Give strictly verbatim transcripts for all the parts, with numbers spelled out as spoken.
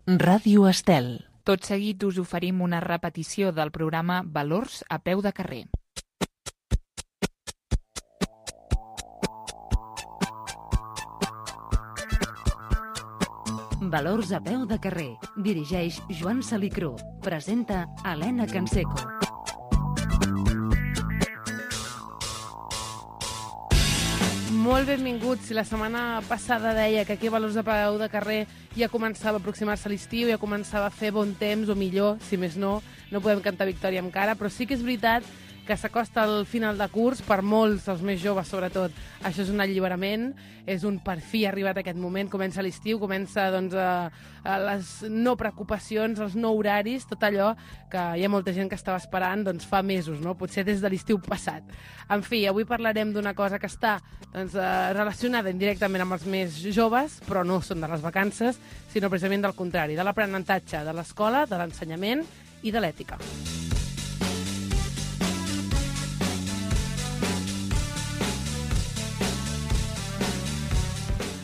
Ràdio Estel. Tot seguit us oferim una repetició del programa Valors a peu de carrer. Valors a peu de carrer. Dirigeix Joan Salicrú. Presenta Helena Canseco. Molt benvinguts. Si la setmana passada deia que aquí a Valors a peu de carrer ja començava a aproximar-se a l'estiu, ja començava a fer bon temps, o millor, si més no, no podem cantar victòria encara, però sí que és veritat que s'acosta al final de curs, per molts, els més joves sobretot, això és un alliberament, és un per fi arribat aquest moment, comença l'estiu, comença doncs, a, a les no preocupacions, els no horaris, tot allò que hi ha molta gent que estava esperant doncs, fa mesos, no? Potser des de l'estiu passat. En fi, avui parlarem d'una cosa que està doncs, relacionada indirectament amb els més joves, però no són de les vacances, sinó precisament del contrari, de l'aprenentatge de l'escola, de l'ensenyament i de l'ètica.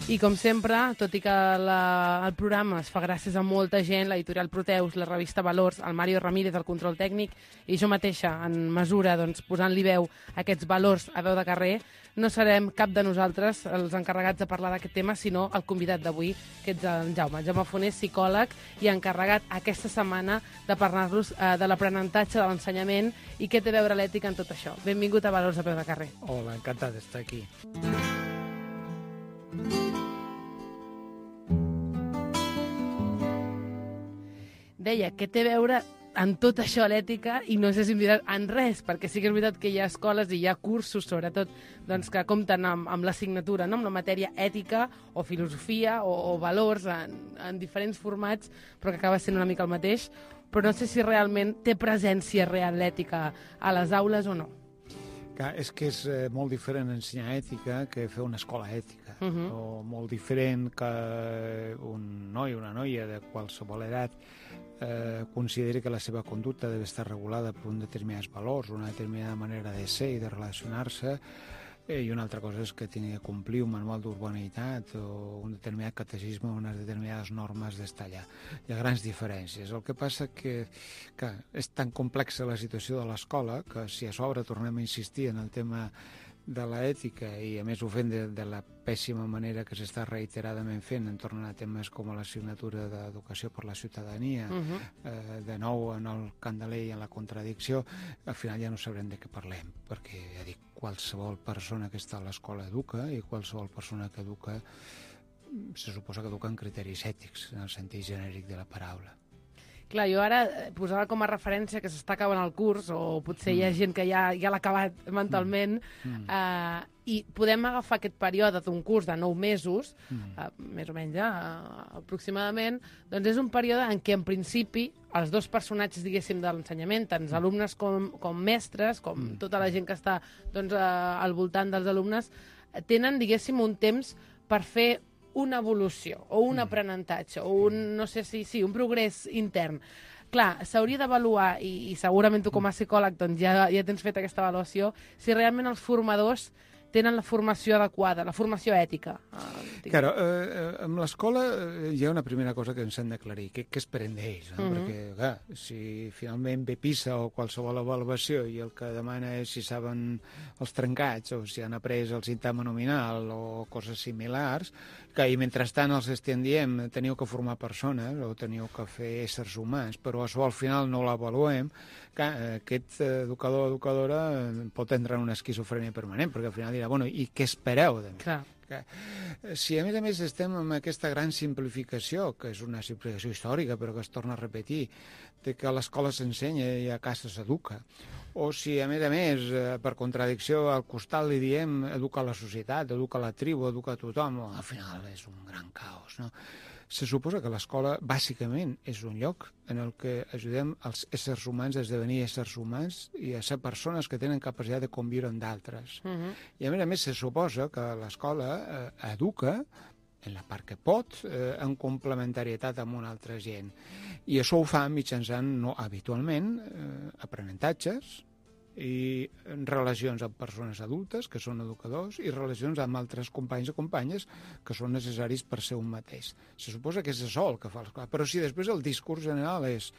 I com sempre, tot i que la, el programa es fa gràcies a molta gent, l'editorial Proteus, la revista Valors, el Mario Ramírez, el control tècnic, i jo mateixa, en mesura, doncs, posant-li veu a aquests valors a veu de carrer, no serem cap de nosaltres els encarregats de parlar d'aquest tema, sinó el convidat d'avui, que és en Jaume. Jaume Fonés, psicòleg, i encarregat aquesta setmana de parlar-nos eh, de l'aprenentatge, de l'ensenyament, i què té a veure l'ètica en tot això. Benvingut a Valors a peu de carrer. Hola, encantat d'estar aquí. Deia, què té a veure en tot això l'ètica, i no sé si em diràs en res, perquè sí que és veritat que hi ha escoles i hi ha cursos, sobretot, doncs, que compten amb, amb l'assignatura, no? Amb la matèria ètica o filosofia o, o valors en, en diferents formats, però que acaba sent una mica el mateix, però no sé si realment té presència real l'ètica a les aules o no. Clar, és que és eh, molt diferent ensenyar ètica que fer una escola ètica, uh-huh. o molt diferent que un noi o una noia de qualsevol edat eh, consideri que la seva conducta deve estar regulada per un determinats valors, una determinada manera de ser i de relacionar-se, eh, i una altra cosa és que tingui de complir un manual d'urbanitat o un determinat catecisme o unes determinades normes d'estar allà. Hi ha grans diferències. El que passa que, que és tan complexa la situació de l'escola que si a sobre tornem a insistir en el tema de l'ètica, i a més ho fem de, de la pèssima manera que s'està reiteradament fent entorn a temes com l'assignatura d'educació per la ciutadania, uh-huh. eh, de nou en el candeler i en la contradicció, al final ja no sabrem de què parlem, perquè ja dic, qualsevol persona que està a l'escola educa, i qualsevol persona que educa se suposa que educa en criteris ètics, en el sentit genèric de la paraula. Clar, jo ara posava com a referència que s'està acabant el curs, o potser mm. hi ha gent que ja, ja l'ha acabat mentalment, mm. eh, i podem agafar aquest període d'un curs de nou mesos, mm. eh, més o menys, eh, aproximadament, doncs és un període en què, en principi, els dos personatges, diguéssim, de l'ensenyament, tant els alumnes com, com mestres, com mm. tota la gent que està doncs, eh, al voltant dels alumnes, tenen, diguéssim, un temps per fer una evolució, o un aprenentatge, o un, no sé si, sí, un progrés intern. Clar, s'hauria d'avaluar, i, i segurament tu com a psicòleg doncs ja, ja tens fet aquesta avaluació, si realment els formadors tenen la formació adequada, la formació ètica. Eh, claro, eh, amb l'escola hi ha una primera cosa que ens hem d'aclarir, que, que esperem d'ells, no? Uh-huh. Perquè, clar, si finalment ve PISA o qualsevol avaluació i el que demana és si saben els trencats o si han après el sintagma nominal o coses similars, que i mentrestant els estem dient teniu que formar persones o teniu que fer éssers humans, però això al final no l'avaluem, que aquest educador o educadora pot entrar en una esquizofrènia permanent, perquè al final dirà, bueno, i què espereu de mi? Clar. Que, si a més a més estem amb aquesta gran simplificació, que és una simplificació històrica però que es torna a repetir, de que a l'escola s'ensenya i a casa s'educa, o si a més a més, per contradicció, al costat li diem educa la societat, educa la tribu, educa tothom, al final és un gran caos, no? Se suposa que l'escola, bàsicament, és un lloc en el que ajudem els éssers humans a esdevenir éssers humans i a ser persones que tenen capacitat de conviure amb d'altres. Uh-huh. I a més a més se suposa que l'escola eh, educa en la part que pot, eh, en complementarietat amb una altra gent. I això ho fa mitjançant, no habitualment, eh, aprenentatges, i relacions amb persones adultes, que són educadors, i relacions amb altres companys o companyes que són necessaris per ser un mateix. Se suposa que és això el que fa l'escola, però si després el discurs general és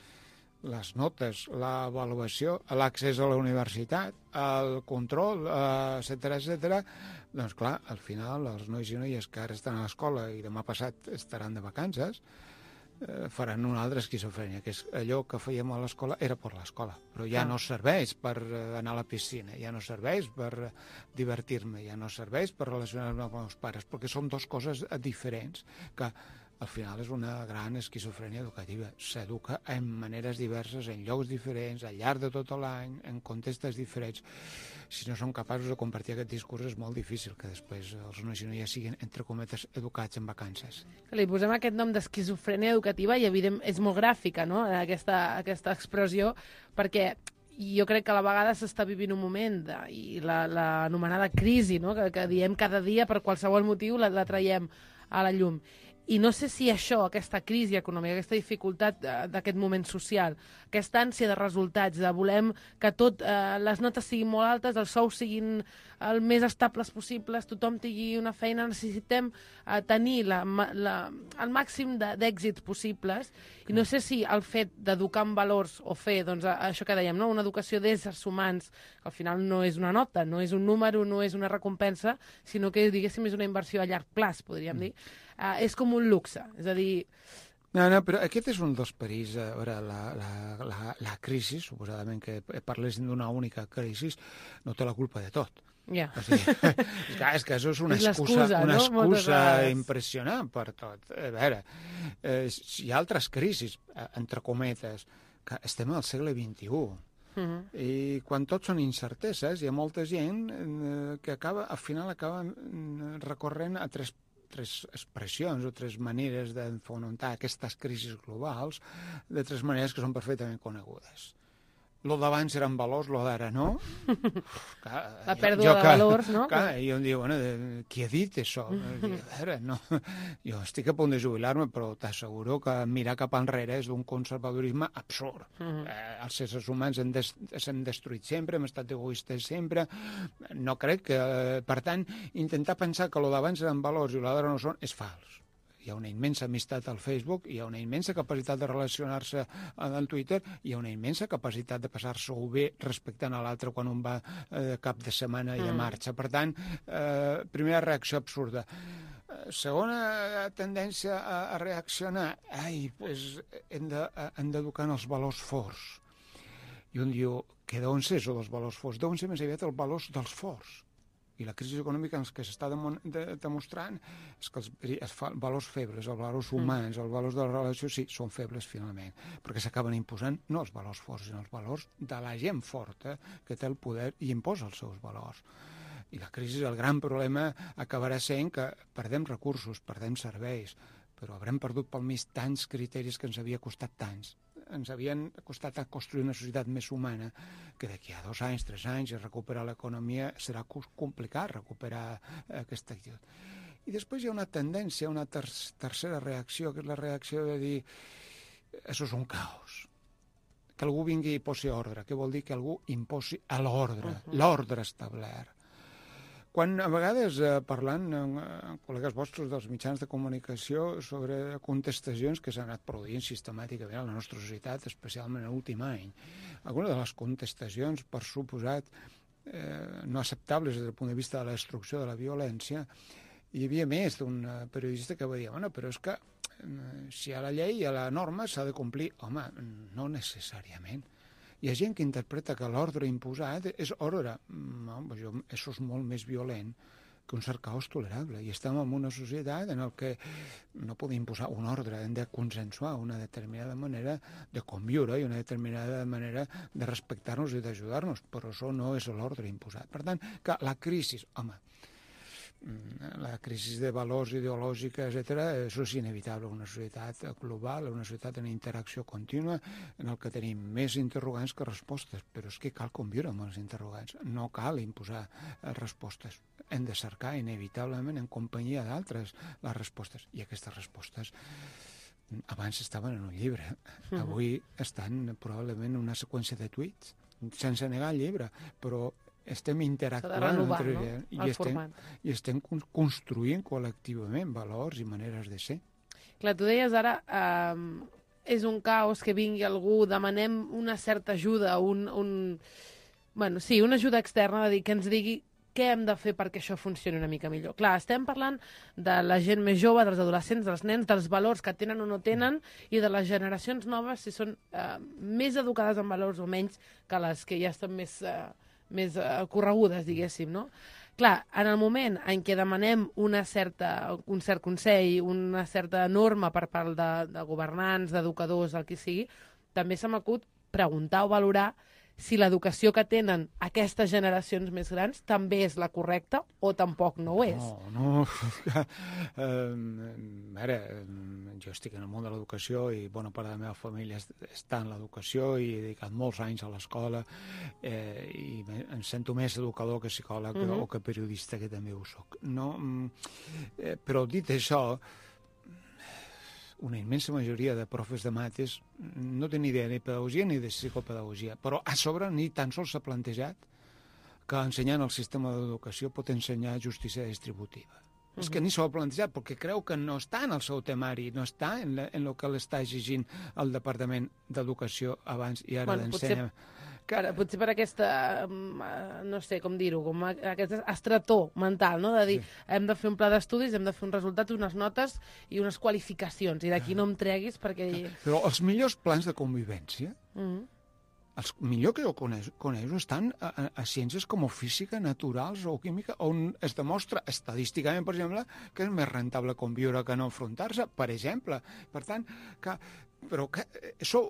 les notes, l'avaluació, l'accés a la universitat, el control, etcètera, etcètera, doncs clar, al final els nois i noies que ara estan a l'escola i demà passat estaran de vacances, eh, faran una altra esquizofrènia, que és allò que fèiem a l'escola era per l'escola, però ja no serveix per anar a la piscina, ja no serveix per divertir-me, ja no serveix per relacionar-me amb els pares, perquè són dues coses diferents que al final és una gran esquizofrènia educativa. S'educa en maneres diverses, en llocs diferents, al llarg de tot l'any, en contextes diferents. Si no som capaços de compartir aquest discurs és molt difícil que després els nois i noies siguin, entre cometes, educats en vacances. Li posem aquest nom d'esquizofrènia educativa i, evident, és molt gràfica, no?, aquesta, aquesta expressió, perquè jo crec que a la vegada s'està vivint un moment de, i l'anomenada la, crisi, no?, que, que diem cada dia per qualsevol motiu la, la traiem a la llum. I no sé si això, aquesta crisi econòmica, aquesta dificultat d'aquest moment social, aquesta ànsia de resultats, de volem que tot, eh, les notes siguin molt altes, els sous siguin el més estables possibles, tothom tingui una feina, necessitem eh, tenir la, la, el màxim d'èxits possibles, i no sé si el fet d'educar en valors o fer, doncs, això que dèiem, no?, una educació d'éssers humans, que al final no és una nota, no és un número, no és una recompensa, sinó que, diguéssim, és una inversió a llarg plaç, podríem dir. Uh, és com un luxe, és a dir... No, no, però aquest és un dels perills. A veure, la, la, la, la crisi, suposadament que parlessin d'una única crisi, no té la culpa de tot. Yeah. O sigui, és, que, és que això és una és excusa, una no? excusa impressionant per tot. A veure, eh, hi ha altres crisis, entre cometes, que estem al segle vint-i-u. Uh-huh. I quan tot són incerteses, hi ha molta gent eh, que acaba, al final acaba recorrent a tres tres expressions o tres maneres d'enfonamentar aquestes crisis globals de tres maneres que són perfectament conegudes. Lo d'abans eren valors, lo d'ara no. Clar, la pèrdua de valors, no? Clar, i em diu, bueno, qui ha dit això? A veure, no, jo estic a punt de jubilar-me, però t'asseguro que mirar cap enrere és d'un conservadorisme absurd. Uh -huh. eh, els éssers humans hem des, s'hem destruït sempre, hem estat egoistes sempre. No crec que... Eh, per tant, intentar pensar que lo d'abans eren valors i lo d'ara no són és fals. Hi ha una immensa amistat al Facebook, hi ha una immensa capacitat de relacionar-se al Twitter, hi ha una immensa capacitat de passar-se-ho bé respectant a l'altre quan un va eh, cap de setmana i a marxa. Per tant, eh, primera reacció absurda. Segona tendència a, a reaccionar, ai, pues, hem d'educar en els valors forts. I un diu, que d'on és això dels valors forts? D'on és més aviat els valors dels forts? I la crisi econòmica en què s'està de, demostrant és que els, els valors febles, els valors humans, els valors de la relació, sí, són febles finalment, perquè s'acaben imposant no els valors forts, sinó els valors de la gent forta que té el poder i imposa els seus valors. I la crisi, el gran problema, acabarà sent que perdem recursos, perdem serveis, però haurem perdut pel mig tants criteris que ens havia costat tants. Ens havien costat a construir una societat més humana, que d'aquí a dos anys, tres anys, recuperar l'economia serà complicat recuperar aquesta actitud. I després hi ha una tendència, una ter tercera reacció, que és la reacció de dir això és un caos. Que algú vingui i posi ordre. Què vol dir? Que algú imposi a l'ordre, uh -huh. l'ordre establert. Quan a vegades eh, parlant amb, amb col·legues vostres dels mitjans de comunicació sobre contestacions que s'han anat produint sistemàticament a la nostra societat, especialment l'últim any, algunes de les contestacions, per suposat, eh, no acceptables des del punt de vista de la destrucció de la violència, hi havia més d'un periodista que va dir, bueno, però és que eh, si hi ha la llei i a la norma s'ha de complir. Home, no necessàriament. Hi ha gent que interpreta que l'ordre imposat és ordre. No, això és molt més violent que un cert caos tolerable. I estem en una societat en la que no podem imposar un ordre, hem de consensuar una determinada manera de conviure i una determinada manera de respectar-nos i d'ajudar-nos, però això no és l'ordre imposat. Per tant, que la crisi, home, la crisi de valors ideològica, etcètera, això és inevitable. Una societat global, una societat en interacció contínua, en el que tenim més interrogants que respostes, però és que cal conviure amb els interrogants, no cal imposar respostes. Hem de cercar inevitablement en companyia d'altres les respostes, i aquestes respostes abans estaven en un llibre, avui estan probablement en una seqüència de tuits, sense negar el llibre, però estem interactuant renovar, entre, no? i, El estem, format. i estem construint col·lectivament valors i maneres de ser. Clar, tu deies ara, eh, és un caos que vingui algú, demanem una certa ajuda, un, un... Bueno, sí, una ajuda externa, de dir, que ens digui què hem de fer perquè això funcioni una mica millor. Clar, estem parlant de la gent més jove, dels adolescents, dels nens, dels valors que tenen o no tenen, i de les generacions noves, si són eh, més educades en valors o menys que les que ja estan més, eh, més eh, corregudes, diguéssim, no? Clar, en el moment en què demanem una certa, un cert consell, una certa norma per part de, de governants, d'educadors, el que sigui, també se m'acut preguntar o valorar si l'educació que tenen aquestes generacions més grans també és la correcta o tampoc no ho és. No, no. uh, ara, jo estic en el món de l'educació i bona part de la meva família està en l'educació i he dedicat molts anys a l'escola eh, i em sento més educador que psicòleg uh-huh. o que periodista, que també ho soc. No, eh, però dit això, una immensa majoria de profes de mates no tenen idea ni de pedagogia ni de psicopedagogia, però a sobre ni tan sols s'ha plantejat que ensenyant el sistema d'educació pot ensenyar justícia distributiva. Uh-huh. És que ni s'ho ha plantejat, perquè creu que no està en el seu temari, no està en, la, en el que l'està exigint el Departament d'Educació abans i ara bueno, d'ensenya. Potser... Per, potser per aquesta, no sé com dir-ho, com aquest estretó mental, no? De dir, sí. hem de fer un pla d'estudis, hem de fer un resultat, unes notes i unes qualificacions, i d'aquí no em treguis perquè... Però els millors plans de convivència, mm-hmm. els millor que jo coneixo, coneixo estan a, a, a ciències com física, naturals o química, on es demostra estadísticament, per exemple, que és més rentable conviure que no enfrontar-se, per exemple. Per tant, que... Però que això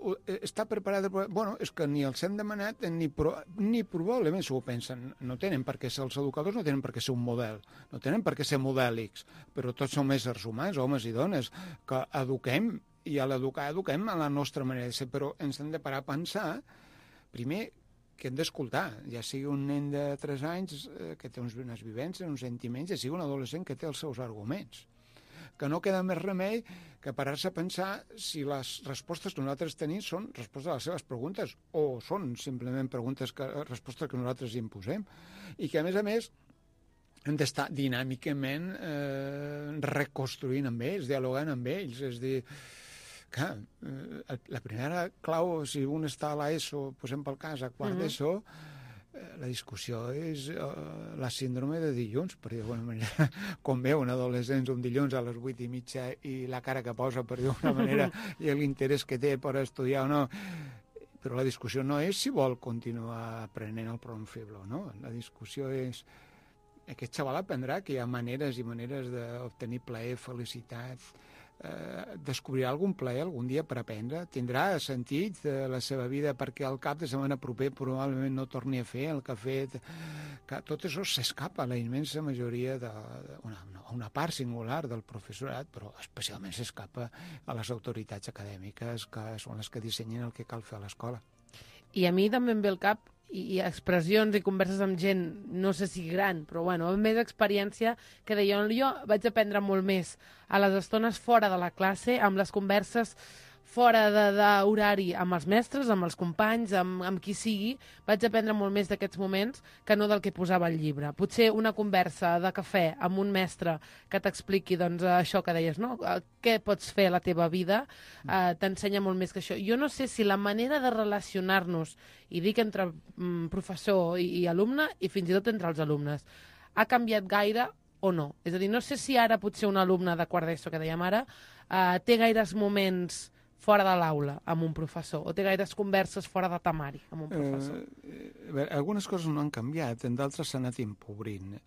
està preparat... Bueno, és que ni els hem demanat ni, pro, ni probablement s'ho pensen. No tenen per què ser els educadors, no tenen per què ser un model, no tenen per què ser modèlics, però tots som éssers humans, homes i dones, que eduquem, i a l'educar eduquem a la nostra manera de ser, però ens hem de parar a pensar, primer, que hem d'escoltar, ja sigui un nen de tres anys eh, que té unes vivències, uns sentiments, ja sigui un adolescent que té els seus arguments, que no queda més remei que parar-se a pensar si les respostes que nosaltres tenim són respostes a les seves preguntes o són simplement preguntes que, respostes que nosaltres imposem. I que, a més a més, hem d'estar dinàmicament eh, reconstruint amb ells, dialogant amb ells. És a dir, clar, eh, la primera clau, si un està a l'ESO, posem pel cas, a quart mm-hmm. d'ESO, la discussió és uh, la síndrome de dilluns, per dir d'alguna manera, com veu un adolescent un dilluns a les vuit i mitja i la cara que posa, per dir d'alguna manera, i l'interès que té per estudiar o no. Però la discussió no és si vol continuar aprenent el pronom feble o no. La discussió és... Aquest xaval aprendrà que hi ha maneres i maneres d'obtenir plaer, felicitat, eh, descobrirà algun plaer algun dia per aprendre, tindrà sentit de la seva vida perquè al cap de setmana proper probablement no torni a fer el que ha fet, que tot això s'escapa a la immensa majoria de, de una, una part singular del professorat, però especialment s'escapa a les autoritats acadèmiques, que són les que dissenyen el que cal fer a l'escola. I a mi també em ve al cap i expressions i converses amb gent, no sé si gran, però bueno, amb més experiència, que deia, jo vaig aprendre molt més a les estones fora de la classe, amb les converses fora d'horari amb els mestres, amb els companys, amb, amb qui sigui, vaig aprendre molt més d'aquests moments que no del que posava al llibre. Potser una conversa de cafè amb un mestre que t'expliqui doncs, això que deies, no? Què pots fer a la teva vida, eh, t'ensenya molt més que això. Jo no sé si la manera de relacionar-nos, i dic entre mm, professor i, i alumne, i fins i tot entre els alumnes, ha canviat gaire o no. És a dir, no sé si ara potser un alumne de quart d'ESO, que dèiem ara, eh, té gaires moments fora de l'aula amb un professor, o té gaires converses fora de temari amb un professor? Eh, a veure, algunes coses no han canviat, en d'altres s'han anat empobrint.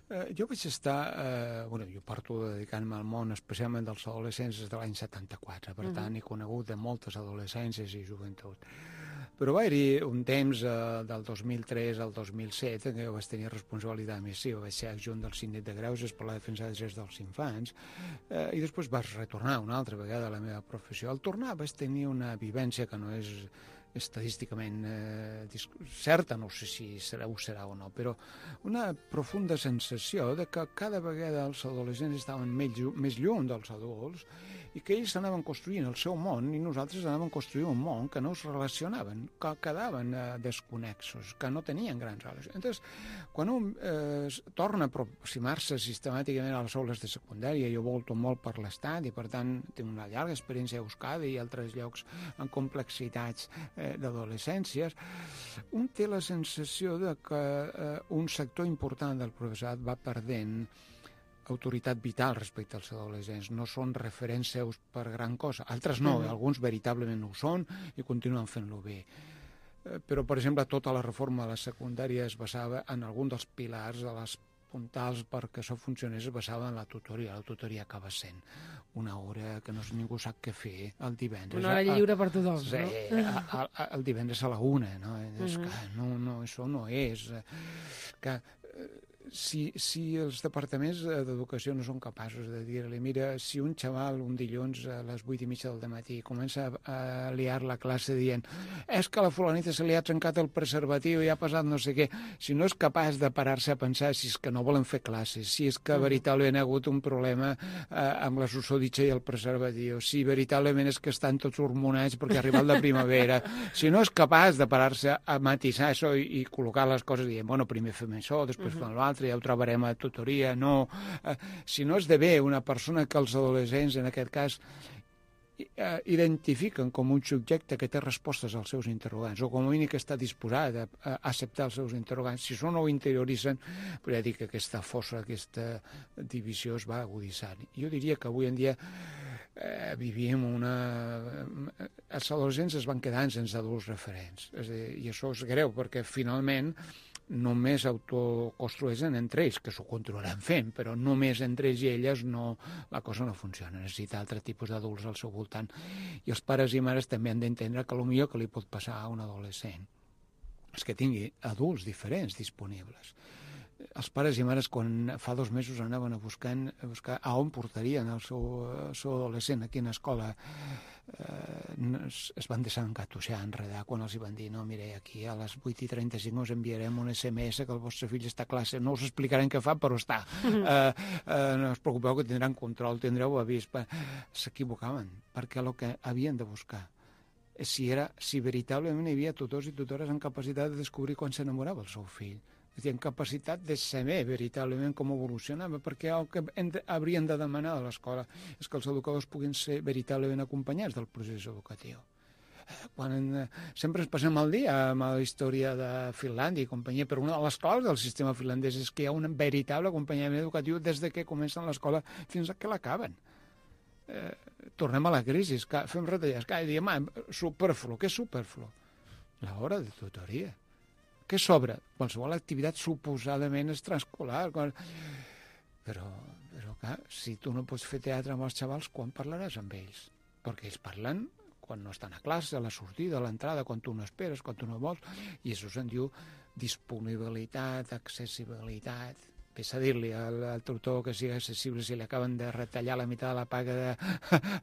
Eh, jo vaig estar... Eh, bueno, jo porto dedicant-me al món, especialment dels adolescents, des de l'any setanta-quatre, per uh-huh. tant, he conegut de moltes adolescències i joventut. Però va haver-hi un temps, eh, del dos mil tres al dos mil set, en què jo vaig tenir responsabilitat missiva, vaig ser adjunt del síndic de Greuges per la defensa dels drets dels infants, eh, i després vaig retornar una altra vegada a la meva professió. Al tornar vaig tenir una vivència que no és estadísticament eh, certa, no sé si serà o serà o no, però una profunda sensació de que cada vegada els adolescents estaven més, més lluny dels adults i que ells anaven construint el seu món i nosaltres anaven construint un món que no es relacionaven, que quedaven eh, desconexos, que no tenien grans relacions. Entonces, quan un eh, torna a aproximar-se sistemàticament a les aules de secundària, jo volto molt per l'estat i per tant tinc una llarga experiència a Euskadi i altres llocs en complexitats eh, d'adolescències, un té la sensació de que eh, un sector important del professorat va perdent autoritat vital respecte als adolescents. No són referents seus per gran cosa. Altres no, mm. alguns veritablement ho són i continuen fent-lo bé. Eh, però, per exemple, tota la reforma de la secundària es basava en algun dels pilars de les puntals perquè això funcionés, es basava en la tutoria. La tutoria acaba sent una hora que no ningú sap què fer el divendres. Una hora lliure per tothom, sí, no? A, a, el divendres a la una, no? És Uh-huh. que no, no, això no és... Que, si, si els departaments d'educació no són capaços de dir-li, mira, si un xaval un dilluns a les vuit i mitja del matí comença a, a liar la classe dient és que a la fulanita se li ha trencat el preservatiu i ha passat no sé què, si no és capaç de parar-se a pensar si és que no volen fer classes, si és que veritablement ha hagut un problema eh, amb la susoditxa i el preservatiu, si veritablement és que estan tots hormonats perquè ha arribat la primavera, si no és capaç de parar-se a matisar això i, i col·locar les coses dient, bueno, primer fem això, després fem l'altre, ja ho trobarem a tutoria, no. Eh, si no esdevé una persona que els adolescents, en aquest cas, eh, identifiquen com un subjecte que té respostes als seus interrogants, o com a mínim que està disposat a, a acceptar els seus interrogants, si això no ho interioritzen, podria dir que aquesta fossa, aquesta divisió es va agudissant. Jo diria que avui en dia eh, vivim una... Els adolescents es van quedant sense adults referents, és a dir, i això és greu, perquè finalment només autoconstrueixen entre ells, que s'ho continuaran fent, però només entre ells i elles no, la cosa no funciona. Necessita altre tipus d'adults al seu voltant. I els pares i mares també han d'entendre que el millor que li pot passar a un adolescent és que tingui adults diferents disponibles. Els pares i mares, quan fa dos mesos anaven a, buscant, a buscar a on portarien el seu, el seu adolescent, a quina escola, eh, es, es van desengatuixar, enredar, quan els hi van dir, no, mire, aquí a les vuit i trenta-cinc us enviarem un S M S que el vostre fill està a classe, no us explicarem què fa, però està. Eh, eh, no us preocupeu que tindran control, tindreu avís. S'equivocaven, perquè el que havien de buscar si, era, si veritablement hi havia tutors i tutores amb capacitat de descobrir quan s'enamorava el seu fill. És a dir, en capacitat de saber veritablement com evolucionava, perquè el que haurien de demanar a l'escola és que els educadors puguin ser veritablement acompanyats del procés educatiu. Quan en, sempre ens passem el dia amb la història de Finlàndia i companyia, però una de les claus del sistema finlandès és que hi ha un veritable acompanyament educatiu des de que comencen l'escola fins a que l'acaben. Eh, tornem a la crisi, que fem retallades, cada dia, ma, superflu, què és superflu? L'hora de tutoria. Què sobra? Qualsevol activitat suposadament extraescolar. Però, però clar, si tu no pots fer teatre amb els xavals, quan parlaràs amb ells? Perquè ells parlen quan no estan a classe, a la sortida, a l'entrada, quan tu no esperes, quan tu no vols, i això se'n diu disponibilitat, accessibilitat. Ves a dir-li al, al tutor que sigui accessible si li acaben de retallar la meitat de la paga de,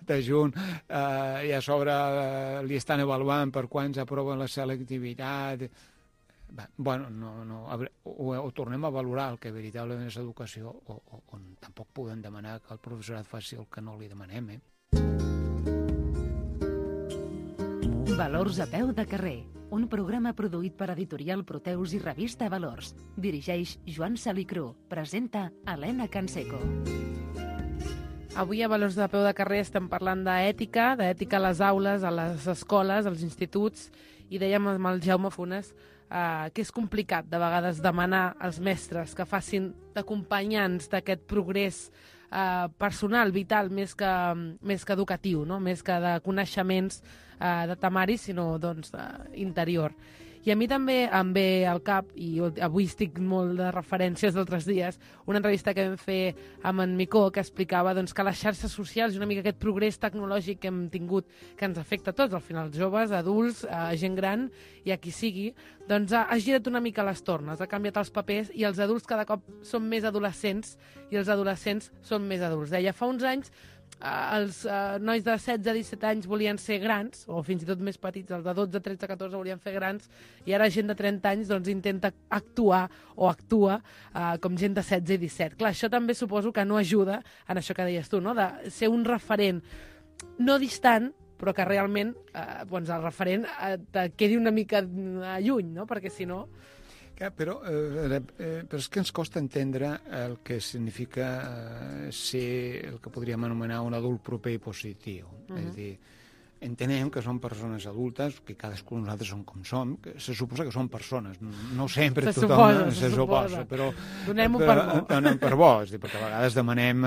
de junt eh, i a sobre eh, li estan avaluant per quants aproven la selectivitat. Bueno, no, no, o, o tornem a valorar el que veritablement és educació o, o, o tampoc podem demanar que el professorat faci el que no li demanem, eh? Valors a peu de carrer, un programa produït per Editorial Proteus i revista Valors. Dirigeix Joan Salicrú. Presenta Helena Canseco. Avui a Valors de peu de carrer estem parlant d'ètica, d'ètica a les aules, a les escoles, als instituts, i dèiem amb el Jaume Funes eh, que és complicat de vegades demanar als mestres que facin d'acompanyants d'aquest progrés eh, personal, vital, més que, més que educatiu, no? Més que de coneixements eh, de temari, sinó doncs, eh, interior. I a mi també em ve al cap, i avui estic molt de referències d'altres dies, una entrevista que vam fer amb en Micó que explicava doncs, que les xarxes socials i una mica aquest progrés tecnològic que hem tingut, que ens afecta a tots, al final joves, adults, a gent gran i a qui sigui, doncs ha, ha girat una mica les tornes, ha canviat els papers i els adults cada cop són més adolescents i els adolescents són més adults. Deia, fa uns anys els uh, nois de setze a disset anys volien ser grans, o fins i tot més petits, els de dotze, tretze, catorze volien fer grans, i ara gent de trenta anys doncs, intenta actuar o actua uh, com gent de setze i disset. Clar, això també suposo que no ajuda en això que deies tu, no? De ser un referent no distant, però que realment eh, doncs el referent eh, te quedi una mica lluny, no? Perquè si no... Ja, però, eh, eh, però és que ens costa entendre el que significa eh, ser el que podríem anomenar un adult proper i positiu. Uh-huh. És a dir, entenem que són persones adultes, que cadascú de nosaltres som com som, que se suposa que són persones, no sempre se tothom suposa, se, se suposa, però donem-ho per bo. Donem per bo, és dir, perquè a vegades demanem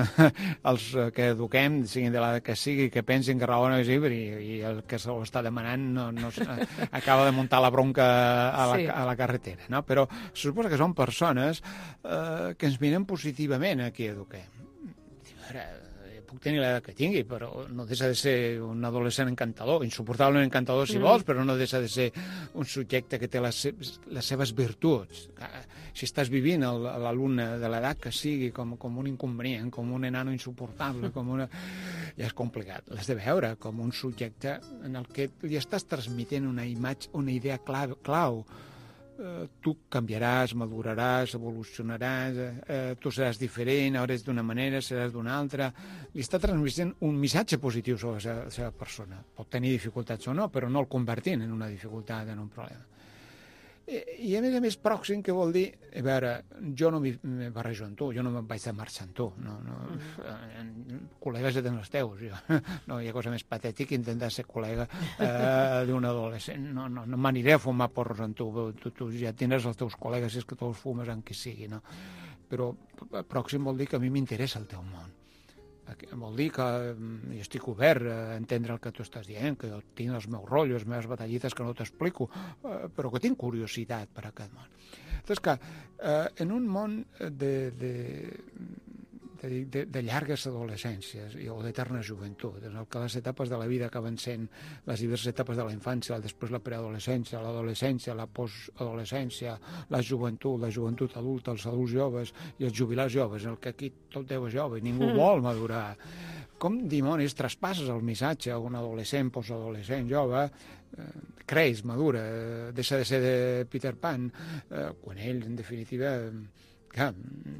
als que eduquem, siguin de l'edat que sigui, que pensin que raó no és llibre, i, i el que se ho està demanant no, no acaba de muntar la bronca a la, sí. a la carretera, no? Però se suposa que són persones eh, que ens miren positivament a qui eduquem. Ara, puc tenir l'edat que tingui, però no deixa de ser un adolescent encantador, insuportablement encantador si mm. vols, però no deixa de ser un subjecte que té les, seves, les seves virtuts. Si estàs vivint l'alumne de l'edat que sigui com, com un inconvenient, com un enano insuportable, com una... ja és complicat. L'has de veure com un subjecte en el que li estàs transmetent una imatge, una idea clau, clau. Uh, tu canviaràs, maduraràs, evolucionaràs, uh, tu seràs diferent, ara ets d'una manera, seràs d'una altra. Li està transmetent un missatge positiu sobre la seva, la seva persona. Pot tenir dificultats o no, però no el convertint en una dificultat, en un problema. I, i a més a més pròxim, que vol dir, a veure, jo no m'hi barrejo amb tu, jo no me'n vaig de marxar amb tu, no, no, mm. col·legues ja tens els teus, jo. No hi ha cosa més patètica que intentar ser col·lega eh, d'un adolescent, no, no, no m'aniré a fumar porros amb tu, tu, tu ja tindràs els teus col·legues, si és que tu els fumes amb qui sigui, no? Però pròxim vol dir que a mi m'interessa el teu món. Vol dir que jo estic obert a entendre el que tu estàs dient, que jo tinc els meus rotllos, les meves batallites que no t'explico, però que tinc curiositat per aquest món. Doncs que en un món de, de, de, de, de llargues adolescències o d'eterna joventut, en el que les etapes de la vida acaben sent les diverses etapes de la infància, després la preadolescència, l'adolescència, la postadolescència, la joventut, la joventut adulta, els adults joves i els jubilats joves, en el que aquí tot deu és jove i ningú mm. vol madurar. Com dimonis traspasses el missatge a un adolescent, postadolescent, jove, eh, creix, madura, eh, deixa de ser de Peter Pan, eh, quan ell, en definitiva... Clar,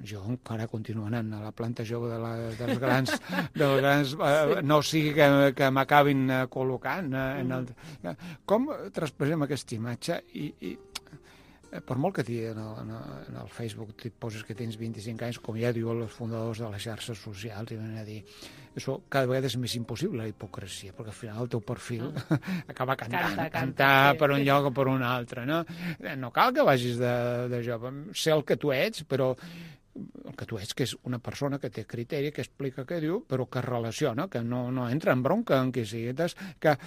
jo encara continuo anant a la planta jove de la, dels grans, dels grans eh, no sigui que, que m'acabin eh, col·locant. Eh, en el, eh, com traspassem aquesta imatge i, i eh, per molt que en el, en el Facebook et poses que tens vint-i-cinc anys, com ja diuen els fundadors de les xarxes socials, i venen a dir això cada vegada és més impossible, la hipocresia, perquè al final el teu perfil mm. acaba cantant, canta, cantar canta, per un sí. lloc o per un altre, no? No cal que vagis de, de jove, sé el que tu ets, però el que tu ets, que és una persona que té criteri, que explica què diu, però que relaciona, que no, no entra en bronca en qui sigui. Que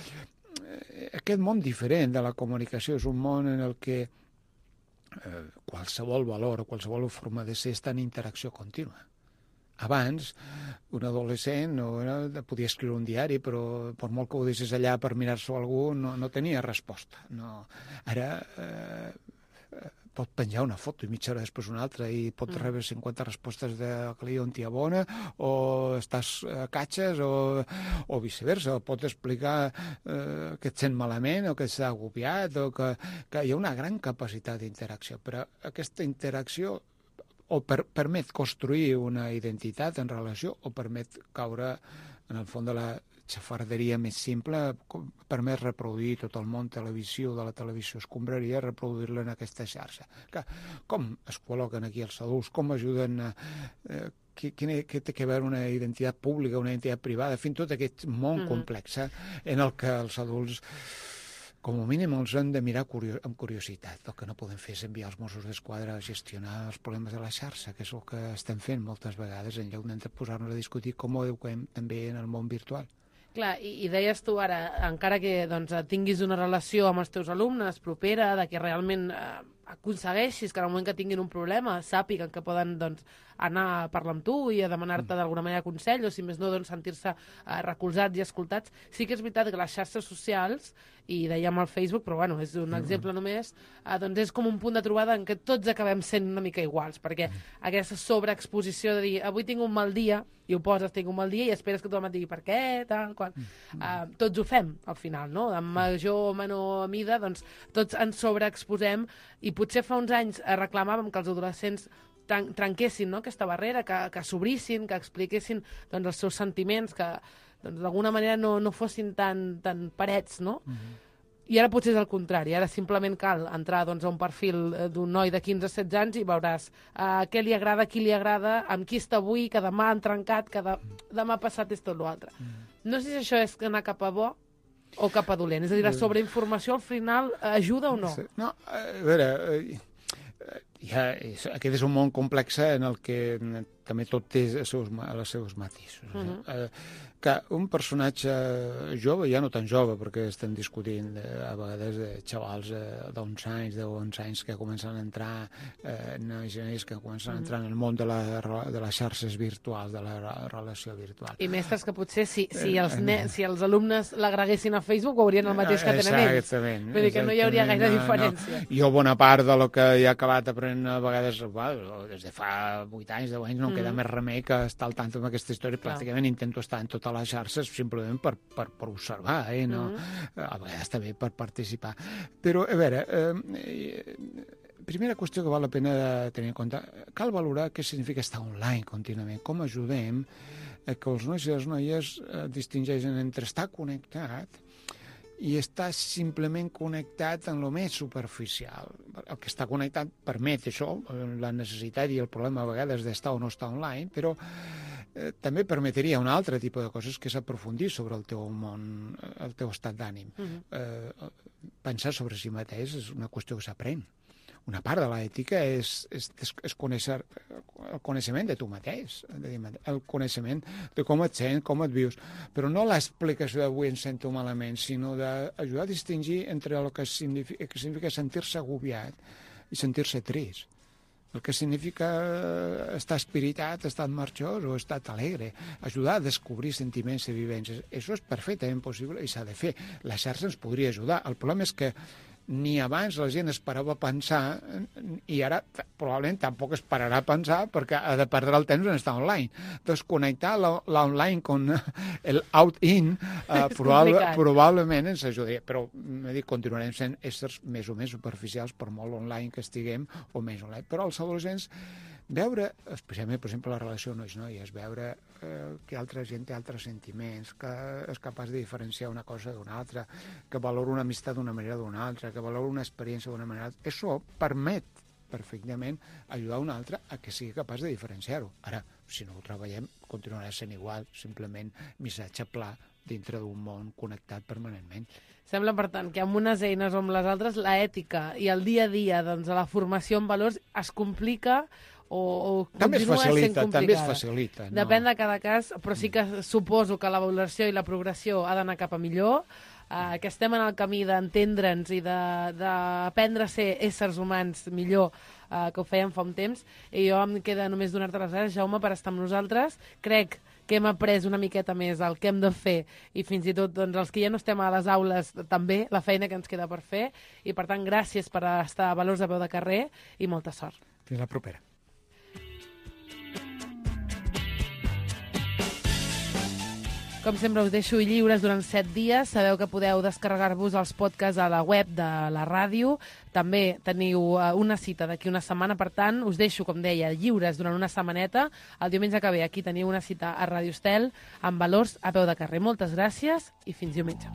aquest món diferent de la comunicació és un món en el que eh, qualsevol valor o qualsevol forma de ser està en interacció contínua. Abans, un adolescent no, no, podia escriure un diari, però per molt que ho deixés allà per mirar-s'ho a algú, no, no tenia resposta. No. Ara eh, pot penjar una foto i mitja hora després una altra i pot mm. rebre cinquanta respostes de que li diuen tia bona, o estàs a catxes, o, o viceversa. Pot explicar eh, que et sent malament, o que està agobiat, o que, que hi ha una gran capacitat d'interacció. Però aquesta interacció o per, permet construir una identitat en relació, o permet caure en el fons de la xafarderia més simple, permet reproduir tot el món televisió, de la televisió escombraria, reproduir-la en aquesta xarxa. Que, com es col·loquen aquí els adults, com ajuden a... Eh, què, què té a veure una identitat pública, una identitat privada, fins tot aquest món mm-hmm. complex eh, en el que els adults... com a mínim els hem de mirar curio amb curiositat. El que no podem fer és enviar els Mossos d'Esquadra a gestionar els problemes de la xarxa, que és el que estem fent moltes vegades, en lloc de posar-nos a discutir com ho eduquem també en el món virtual. Clar, i, i deies tu ara, encara que doncs, tinguis una relació amb els teus alumnes propera, de que realment eh, aconsegueixis que en el moment que tinguin un problema sàpiguen que poden doncs, anar a parlar amb tu i a demanar-te d'alguna manera consell, o si més no doncs, sentir-se eh, recolzats i escoltats. Sí que és veritat que les xarxes socials, i dèiem al Facebook, però bueno, és un exemple només, eh, doncs és com un punt de trobada en què tots acabem sent una mica iguals, perquè aquesta sobreexposició de dir avui tinc un mal dia, i ho poses, tinc un mal dia, i esperes que tothom et digui per què, tal, qual. Uh, tots ho fem, al final, no? En major o menor mida, doncs tots ens sobreexposem, i potser fa uns anys reclamàvem que els adolescents trenquessin no? aquesta barrera, que, que s'obrissin, que expliquessin doncs, els seus sentiments, que doncs d'alguna manera no, no fossin tan, tan parets, no? Mm-hmm. I ara potser és el contrari, ara simplement cal entrar doncs, a un perfil d'un noi de quinze a setze anys i veuràs uh, què li agrada, qui li agrada, amb qui està avui, que demà han trencat, que de... demà passat és tot l'altre. Mm. No sé si això és anar cap a bo o cap a dolent, és a dir, la sobreinformació al final ajuda o no? No, a veure, ja, aquest és un món complex en el que també tot té els seus, els seus matisos. Uh-huh. eh, que un personatge jove, ja no tan jove, perquè estem discutint eh, a vegades de xavals eh, d'onze anys, de onze anys que comencen a entrar, eh, nois que comencen a entrar en el món de, la, de les xarxes virtuals, de la relació virtual. I mestres que potser si, si, els, ne si els alumnes l'agreguessin a Facebook veurien el mateix que tenen ells. Exactament. Vull dir que no hi hauria gaire no, diferència. No. Jo bona part de lo que he acabat aprenent a vegades, bueno, des de fa vuit anys, deu anys, no mm. queda més remei que estar al tant amb aquesta història. Clar. Pràcticament intento estar en totes les xarxes simplement per, per, per observar, eh? No? Mm. A vegades també per participar. Però, a veure, eh, primera qüestió que val la pena tenir en compte, cal valorar què significa estar online contínuament, com ajudem que els nois i les noies eh, distingeixen entre estar connectat i està simplement connectat en lo més superficial. El que està connectat permet això, la necessitat i el problema a vegades d'estar o no estar online, però eh, també permetria un altre tipus de coses, que és aprofundir sobre el teu món, el teu estat d'ànim. Uh-huh. eh, pensar sobre si mateix és una qüestió que s'aprèn. Una part de l'ètica és, és, és conèixer el coneixement de tu mateix, el coneixement de com et sents, com et vius, però no l'explicació d'avui em sento malament, sinó d'ajudar a distingir entre el que significa, que significa sentir-se agobiat i sentir-se trist. El que significa estar espiritat, estar marxós o estar alegre, ajudar a descobrir sentiments i vivències. Això és perfectament possible i s'ha de fer. La xarxa ens podria ajudar. El problema és que ni abans la gent esperava pensar i ara probablement tampoc esperarà a pensar perquè ha de perdre el temps en estar online. Desconnectar l'online con el out-in eh, probable, probablement ens ajudaria, però dic, continuarem sent éssers més o més superficials per molt online que estiguem o més online. Però els adolescents veure, especialment, per exemple, la relació nois-noies, veure eh, que altra gent té altres sentiments, que és capaç de diferenciar una cosa d'una altra, que valora una amistat d'una manera d'una altra, que valora una experiència d'una manera d'altra. Això permet perfectament ajudar un altre a que sigui capaç de diferenciar-ho. Ara, si no ho treballem, continuarà sent igual, simplement missatge pla dintre d'un món connectat permanentment. Sembla, per tant, que amb unes eines o amb les altres, l'ètica i el dia a dia, doncs, a la formació en valors es complica o, o també es continua facilita, sent complicada. també es facilita. No? Depèn de cada cas, però sí que suposo que la valoració i la progressió ha d'anar cap a millor, eh, que estem en el camí d'entendre'ns i d'aprendre a ser éssers humans millor, eh, que ho fèiem fa un temps, i jo em queda només donar-te les gràcies, Jaume, per estar amb nosaltres. Crec que hem après una miqueta més el que hem de fer i fins i tot doncs, els que ja no estem a les aules també, la feina que ens queda per fer, i per tant gràcies per estar a Valors a peu de carrer i molta sort. Fins la propera. Com sempre, us deixo lliures durant set dies. Sabeu que podeu descarregar-vos els podcasts a la web de la ràdio. També teniu una cita d'aquí una setmana. Per tant, us deixo, com deia, lliures durant una setmaneta. El diumenge que ve aquí teniu una cita a Ràdio Estel amb Valors a peu de carrer. Moltes gràcies i fins diumenge.